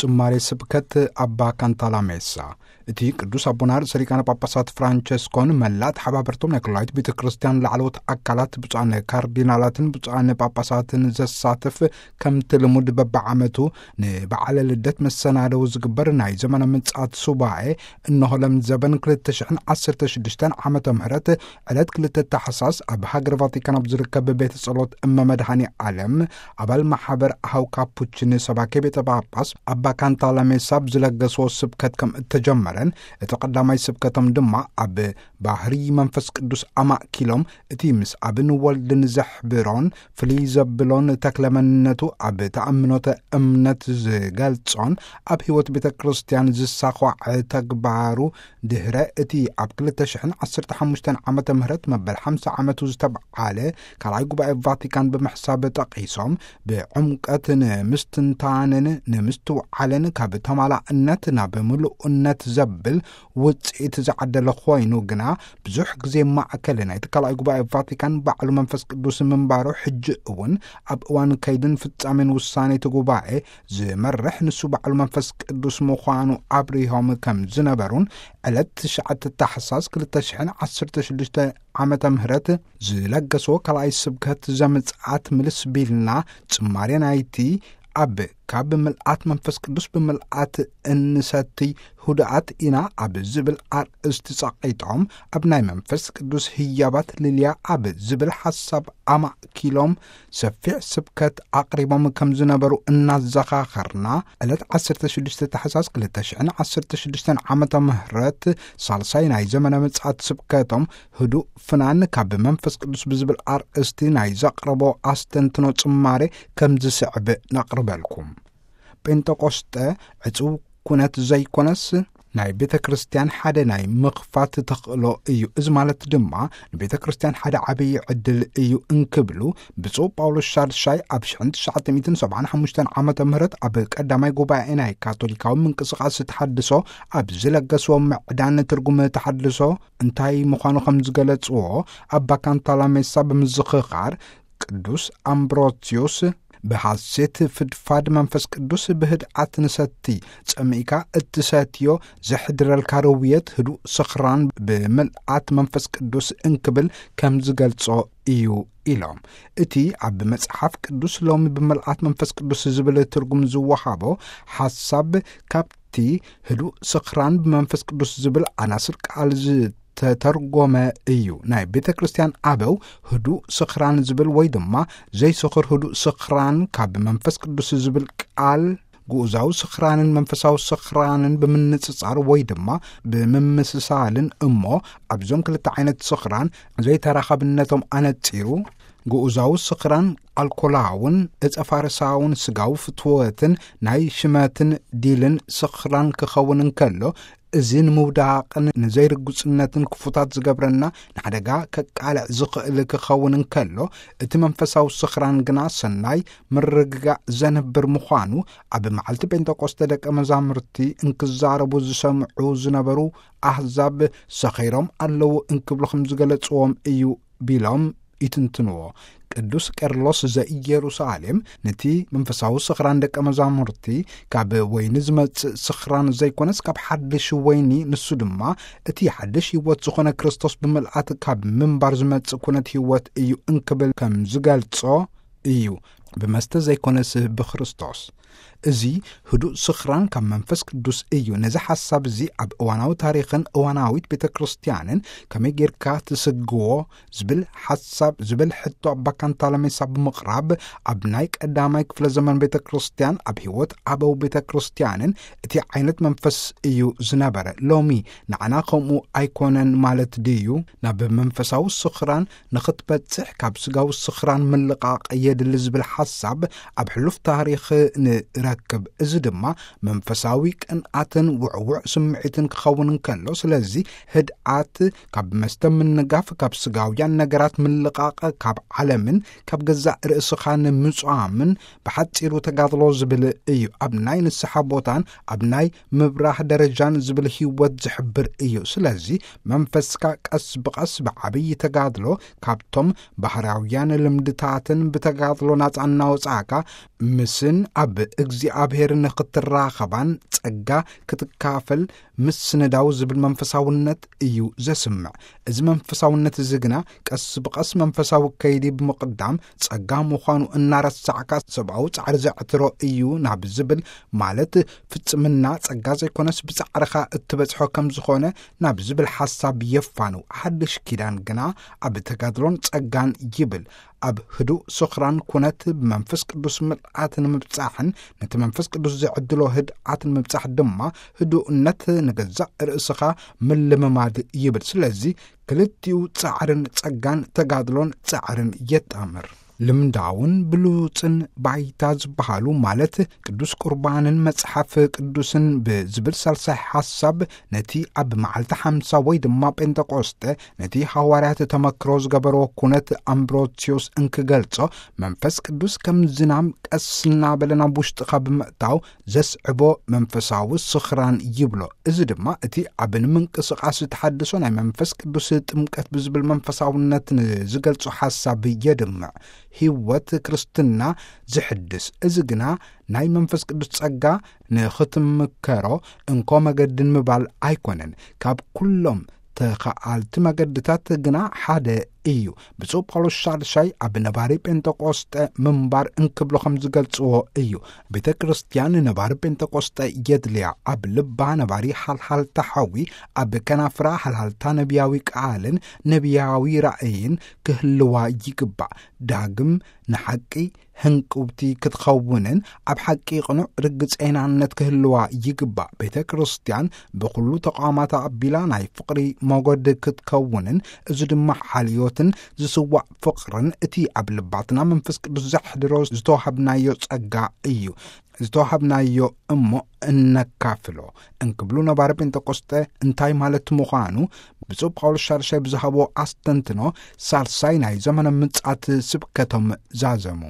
ጽማሬ ስብከት ኣባ ካንታላሜሳ። እቲ ቅዱስ ኣቦና ርእሰ ሊቃነ ጳጳሳት ፍራንቸስኮን መላእ ተሓባበርቶም ናይ ክላይት ቤተ ክርስቲያን ላዕለዎት ኣካላት፣ ብፁዓን ካርዲናላትን ብፁዓን ጳጳሳትን ዘሳትፍ፣ ከምቲ ልሙድ በብዓመቱ ንበዓለ ልደት መሰናደው ዝግበር ናይ ዘመነ ምጽኣት ሱባኤ፣ እንሆ ለምዘበን ክልተ ሽሕን ዓሰርተ ሽዱሽተን ዓመተ ምህረት ዕለት ክልተ ታሕሳስ ኣብ ሃገረ ቫቲካን ኣብ ዝርከብ ቤተ ጸሎት እመ መድኃኔ ዓለም ኣባል ማሕበር ኣሃው ካፑችን ሰባኬ ቤተ ጳጳስ ኣባ ካንታላሜሳ ብዝለገስዎ ስብከት ከም እተጀመረን፣ እቲ ቀዳማይ ስብከቶም ድማ ኣብ ባህሪ መንፈስ ቅዱስ ኣማእኪሎም፣ እቲ ምስ ኣብን ወልድን ዘሕብሮን ፍልይ ዘብሎን ተክለ መንነቱ ኣብ ተኣምኖተ እምነት ዝገልጾን ኣብ ሕይወት ቤተ ክርስቲያን ዝሳዃዕ ተግባሩ፣ ድሕረ እቲ ኣብ ክልተ ሽሕን ዓሰርተ ሓሙሽተን ዓመተ ምህረት መበል ሓምሳ ዓመቱ ዝተብዓለ ካልኣይ ጉባኤ ቫቲካን ብምሕሳብ ጠቒሶም፣ ብዕምቀት ንምስትንታንን ንምስትውዓልን ካብ ተማላእነት ናብ ምሉእነት ዘብል ውጽኢት ዝዓደለ ኮይኑ፣ ግና ብዙሕ ግዜ ማእከል ናይቲ ካልኣይ ጉባኤ ቫቲካን ባዕሉ መንፈስ ቅዱስ ምንባሩ፣ ሕጂ እውን ኣብ እዋን ከይድን ፍጻሜን ውሳኔ እቲ ጉባኤ ዝመርሕ ንሱ ባዕሉ መንፈስ ቅዱስ ምዃኑ ኣብሪሆም ከም ዝነበሩን፣ ዕለት ትሽዓተ ታሕሳስ ክልተ ሽሕን ዓሰርተ ሽዱሽተ ዓመተ ምህረት ዝለገስዎ ካልኣይ ስብከት ዘምጽኣት ምልስ ቢልና ጽማሬ ናይቲ ኣብ ካብ ምልኣት መንፈስ ቅዱስ ብምልኣት እንሰትይ ህዱኣት ኢና ኣብ ዝብል ኣርእስቲ ጸቒጦም፣ ኣብ ናይ መንፈስ ቅዱስ ህያባት ልልያ ኣብ ዝብል ሓሳብ ኣማእኪሎም ሰፊሕ ስብከት ኣቕሪቦም ከም ዝነበሩ እናዘኻኸርና፣ ዕለት ዓሰርተ ሽዱሽተ ታሕሳስ ክልተ ሽሕን ዓሰርተ ሽዱሽተን ዓመተ ምህረት ሳልሳይ ናይ ዘመነ ምጽኣት ስብከቶም ህዱእ ፍናን ካብ መንፈስ ቅዱስ ብዝብል ኣርእስቲ ናይ ዘቕረቦ ኣስተንትኖ ጽማሬ ከም ዝስዕብ ነቕርበልኩም። ጴንጠቆስጠ ዕጹው ኩነት ዘይኮነስ፣ ናይ ቤተ ክርስቲያን ሓደ ናይ ምኽፋት ተኽእሎ እዩ። እዚ ማለት ድማ ንቤተ ክርስቲያን ሓደ ዓብዪ ዕድል እዩ እንክብሉ ብፁዕ ጳውሎስ ሻድሻይ ኣብ ሽሕን ትሽዓተ ሚእትን ሰብዓን ሓሙሽተን ዓመተ ምህረት ኣብ ቀዳማይ ጉባኤ ናይ ካቶሊካዊ ምንቅስቃስ ተሓድሶ ኣብ ዝለገስዎ ምዕዳን ትርጉም ተሓድሶ እንታይ ምዃኑ ከም ዝገለጽዎ ኣባ ካንታላሜሳ ብምዝኽኻር፣ ቅዱስ ኣምብሮስዮስ ብሓሴት ፍድፋድ መንፈስ ቅዱስ ብህድኣት ንሰቲ፣ ጸሚእካ እትሰትዮ ዘሕድረልካ ርውየት ህዱእ ስኽራን ብምልኣት መንፈስ ቅዱስ እንክብል ከም ዝገልጾ እዩ ኢሎም። እቲ ኣብ መጽሓፍ ቅዱስ ሎሚ ብምልኣት መንፈስ ቅዱስ ዝብል ትርጉም ዝወሃቦ ሓሳብ ካብቲ ህዱእ ስኽራን ብመንፈስ ቅዱስ ዝብል ኣናስር ቃል ዝተተርጎመ እዩ። ናይ ቤተ ክርስቲያን ኣበው ህዱእ ስኽራን ዝብል ወይ ድማ ዘይስኽር ህዱእ ስኽራን ካብ መንፈስ ቅዱስ ዝብል ቃል ግኡዛዊ ስኽራንን መንፈሳዊ ስኽራንን ብምንጽጻር ወይ ድማ ብምምስሳልን እሞ፣ ኣብዞም ክልተ ዓይነት ስኽራን ዘይተራኻብነቶም ኣነጺሩ፣ ግኡዛዊ ስኽራን ኣልኮላውን እጸ ፋርሳውን ስጋዊ ፍትወትን ናይ ሽመትን ዲልን ስኽራን ክኸውን እንከሎ፣ እዚ ንምውዳቕን ንዘይርጉጽነትን ክፉታት ዝገብረና ንሓደጋ ከቃልዕ ዝኽእል ክኸውን እንከሎ፣ እቲ መንፈሳዊ ስኽራን ግና ሰናይ ምርግጋእ ዘንብር ምዃኑ ኣብ መዓልቲ ጴንጠቆስተ ደቀ መዛሙርቲ እንክዛረቡ ዝሰምዑ ዝነበሩ ኣህዛብ ሰኺሮም ኣለዉ እንክብሉ ከም ዝገለጽዎም እዩ ቢሎም ይትንትንዎ። ቅዱስ ቄርሎስ ዘኢየሩሳሌም ነቲ መንፈሳዊ ስኽራን ደቀ መዛሙርቲ ካብ ወይኒ ዝመጽእ ስኽራን ዘይኮነስ ካብ ሓድሽ ወይኒ፣ ንሱ ድማ እቲ ሓድሽ ህይወት ዝኾነ ክርስቶስ ብምልኣት ካብ ምንባር ዝመጽእ ኩነት ህይወት እዩ እንክብል ከም ዝገልጾ እዩ። ብመስተ ዘይኮነስ ብክርስቶስ። እዚ ህዱእ ስኽራን ካብ መንፈስ ቅዱስ እዩ። ነዚ ሓሳብ እዚ ኣብ እዋናዊ ታሪኽን እዋናዊት ቤተ ክርስቲያንን ከመይ ጌርካ ትስግዎ ዝብል ሓሳብ፣ ዝብል ሕቶ ኣባ ካንታለሜሳ ብምቕራብ፣ ኣብ ናይ ቀዳማይ ክፍለ ዘመን ቤተ ክርስቲያን፣ ኣብ ህይወት ኣበው ቤተ ክርስቲያንን እቲ ዓይነት መንፈስ እዩ ዝነበረ። ሎሚ ንዓና ከምኡ ኣይኮነን ማለት ድዩ? ናብ መንፈሳዊ ስኽራን ንኽትበጽሕ ካብ ስጋዊ ስኽራን ምልቓቕ የድሊ ዝብል ሓሳብ ኣብ ሕሉፍ ታሪኽ ንረክብ። እዚ ድማ መንፈሳዊ ቅንኣትን ውዕዉዕ ስምዒትን ክኸውን እንከሎ፣ ስለዚ ህድኣት፣ ካብ መስተ ምንጋፍ፣ ካብ ስጋውያን ነገራት ምልቓቕ፣ ካብ ዓለምን ካብ ገዛእ ርእስኻ ንምጽዋምን ብሓጺሩ ተጋድሎ ዝብል እዩ። ኣብ ናይ ንስሓ ቦታን ኣብ ናይ ምብራህ ደረጃን ዝብል ህይወት ዝሕብር እዩ። ስለዚ መንፈስካ ቀስ ብቐስ ብዓብዪ ተጋድሎ ካብቶም ባህርያውያን ልምድታትን ብተጋድሎ ናጻ እናወጻእካ ምስን ኣብ እግዚኣብሔር ንኽትራኸባን ጸጋ ክትካፈል ምስንዳው ዝብል መንፈሳውነት እዩ ዘስምዕ። እዚ መንፈሳውነት እዚ ግና ቀስ ብቐስ መንፈሳዊ ከይዲ ብምቕዳም ጸጋ ምዃኑ እናረሳዕካ ሰብኣዊ ጻዕሪ ዘዕትሮ እዩ ናብ ዝብል፣ ማለት ፍጽምና ጸጋ ዘይኮነስ ብጻዕርኻ እትበጽሖ ከም ዝኾነ ናብ ዝብል ሓሳብ የፋንው። ሓድሽ ኪዳን ግና ኣብ ተጋድሎን ጸጋን ይብል። ኣብ ህዱእ ስኽራን ኩነት ብመንፈስ ቅዱስ ምልኣት ንምብጻሕን ነቲ መንፈስ ቅዱስ ዝዕድሎ ህድኣት ንምብጻሕ ድማ ህዱእነት ንገዛእ ርእስኻ ምልምማድ ይብል። ስለዚ ክልቲኡ ጻዕርን ጸጋን፣ ተጋድሎን ጻዕርን የጣምር። ልምዳውን ብሉጽን ባይታ ዝበሃሉ፣ ማለት ቅዱስ ቁርባንን መጽሓፍ ቅዱስን ብዝብል ሳልሳይ ሓሳብ፣ ነቲ ኣብ መዓልቲ ሓምሳ ወይ ድማ ጴንጠቆስጠ ነቲ ሃዋርያት ተመክሮ ዝገበርዎ ኩነት ኣምብሮስዮስ እንክገልጾ፣ መንፈስ ቅዱስ ከም ዝናም ቀስ እናበለ ናብ ውሽጥኻ ብምእታው ዘስዕቦ መንፈሳዊ ስኽራን ይብሎ። እዚ ድማ እቲ ኣብ ንምንቅስቓስ ተሓድሶ ናይ መንፈስ ቅዱስ ጥምቀት ብዝብል መንፈሳውነት ንዝገልጾ ሓሳብ የድምዕ። ህይወት ክርስትና ዝሕድስ፣ እዚ ግና ናይ መንፈስ ቅዱስ ጸጋ ንኽትምከሮ እንኮ መገድን ምባል ኣይኮነን። ካብ ኩሎም ተኸኣልቲ መገድታት ግና ሓደ እዩ። ብፁዕ ጳውሎስ ሻድሻይ ኣብ ነባሪ ጴንጠቆስጠ ምንባር እንክብሎ ከም ዝገልጽዎ እዩ። ቤተ ክርስቲያን ነባሪ ጴንጠቆስጠ የድልያ። ኣብ ልባ ነባሪ ሓልሓልታ ሓዊ፣ ኣብ ከናፍራ ሓልሓልታ ነቢያዊ ቃልን ነቢያዊ ራእይን ክህልዋ ይግባእ። ዳግም ንሓቂ ህንቁብቲ ክትኸውንን ኣብ ሓቂ ቅኑዕ ርግጸይናነት ክህልዋ ይግባእ። ቤተ ክርስቲያን ብኹሉ ተቋማት ኣቢላ ናይ ፍቕሪ መጎድ ክትከውንን፣ እዚ ድማ ሓልዮትን ዝስዋዕ ፍቕርን እቲ ኣብ ልባትና መንፈስ ቅዱስ ዘሕድሮ ዝተዋሃብናዮ ጸጋ እዩ። ዝተዋሃብናዮ እሞ እነካፍሎ እንክብሉ ነባሪ ጴንጠቆስጠ እንታይ ማለት ምዃኑ ብፁዕ ጳውሎስ ሻድሻይ ብዝሃቦ ኣስተንትኖ ሳልሳይ ናይ ዘመነ ምጽኣት ስብከቶም ዛዘሙ።